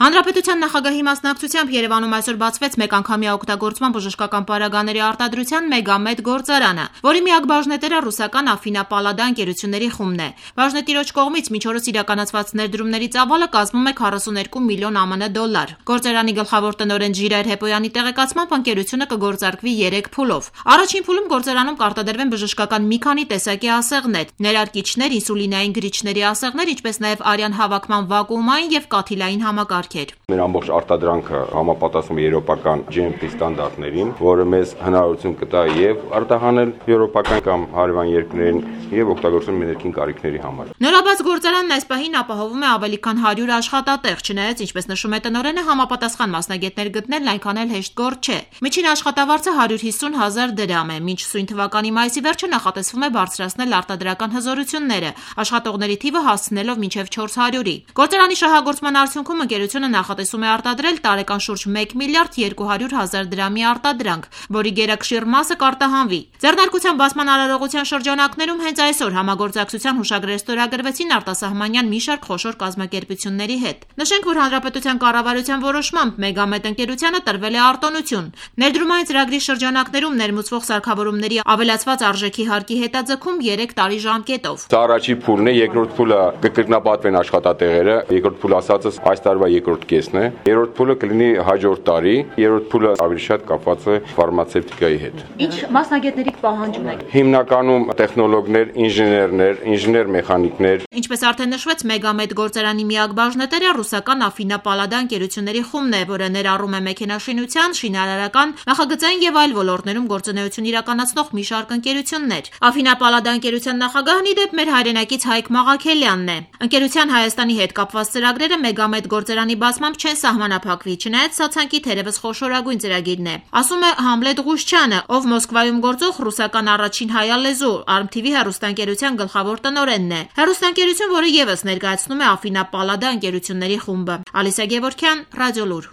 Հանրապետության նախագահի մասնակցությամբ Երևանում այսօր բացվեց մեկանգամյա օգտագործման բժշկական պարագաների արտադրության մեգամետ գործարանը, որի միակ բաժնետերը ռուսական Afina Palada ընկերությունների խումբն է։ Բաժնետիրոջ կողմից միջօրս իրականացված ներդրումների ծավալը կազմում է 42 միլիոն ԱՄՆ դոլար։ Գործարանի գլխավոր տնօրեն Ժիրայր Հեպոյանի տեղեկացմամբ ընկերությունը կգործարկվի 3 փուլով։ Առաջին փուլում գործարանում կարտադրվեն բժշկական մի քանի տեսակի ասեղներ, ներարկիչներ, ինսուլինային գրիչների ասեղներ, ինչպես նաև արյան հավաքման վակուումային եւ կաթիլային համակարգեր։ Մեր ամբողջ արտադրանքը համապատասխանում է եվրոպական GMP ստանդարտներին, որը մեզ հնարավորություն կտա եւ արտահանել եվրոպական կամ հարևան երկրներին եւ օգտագործել ներքին կարիքների համար։ Նորաբաց գործարանն այս պահին ապահովում է ավելի քան 100 աշխատատեղ, չնայած, ինչպես նշում է տնօրենը, համապատասխան մասնագետներ գտնելն այնքան էլ հեշտ գործ չէ։ Միջին աշխատավարձը 150,000 դրամ է, մինչ սույն թվականի մայիսի վերջը նախատեսվում է բարձրացնել արտադրական հզորությունները, աշխատողների թիվը հասցնելով մինչև 400-ի։ Գործարանի շահագործման արդյունքում ընկերությունը նախատեսում է արտադրել տարեկան շուրջ 1 միլիարդ 200,000 դրամի արտադրանք, որի գերակշիռ մասը կարտահանվի։ Ձեռնարկության բացման արարողության շրջանակներում հենց այսօր համագործակցության հուշագրեր ստորագրվեցին արտասահմանյան մի շարք խոշոր կազմակերպությունների հետ։ Նշենք, որ հանրապետության կառավարության որոշմամբ մեգամետ ընկերությանը տրվել է արտոնություն։ Ներդրումային ծրագրի շրջանակներում ներմուծվող սարքավորումների ավելացված արժեքի հարկի հետաձգում 3 տարի ժամկետով։ Սա առաջի փուլն է, երկրորդ փուլը կկրկնապատվեն աշխատատեղերը, երկրորդ փուլը ասածս այս տարվա երկրորդ կեսն է, երրորդ փուլը կլինի հաջորդ տարի, երրորդ փուլը ավելի շատ կապված է ֆարմացևտիկայի հետ։ Ինչ մասնագետների պահանջ ունեք։ Հիմնականում տեխնոլոգներ, ինժեներներ, ինժեներ-մեխանիկներ։ Ինչպես արդեն նշվեց, մեգամետ գործարանի միակ բաժնետերը ռուսական Afina Palada ընկերությունների խումբն է, որը ներառում է մեքենաշինության, շինարարական, նախագծային եւ այլ ոլորտներում գործունեություն իրականացնող մի շարք ընկերություններ։ Afina Palada ընկերության նախագահն ի դեպ մեր հայրենակից Հայկ Մաղաքելյանն է։ Ընկերության Հայաստանի հետ կապված ծրագրերը մեգամետ գործարանի բացմամբ չեն սահմանափակվի, չնայած սա ցանկի թերևս խոշորագույն ծրագիրն է, ասում է Համլետ Ղուշչյանը, ով Մոսկվայում գործող ռուսական առաջին հայալեզու ARM-TV հեռուստաընկերության գլխավոր տնօրենն է։ Հեռուստաընկերություն, որը եւս ներկայացնում է Afina Palada ընկերությունների խումբը։ Ալիսա Գևորգյան, Ռադիոլուր։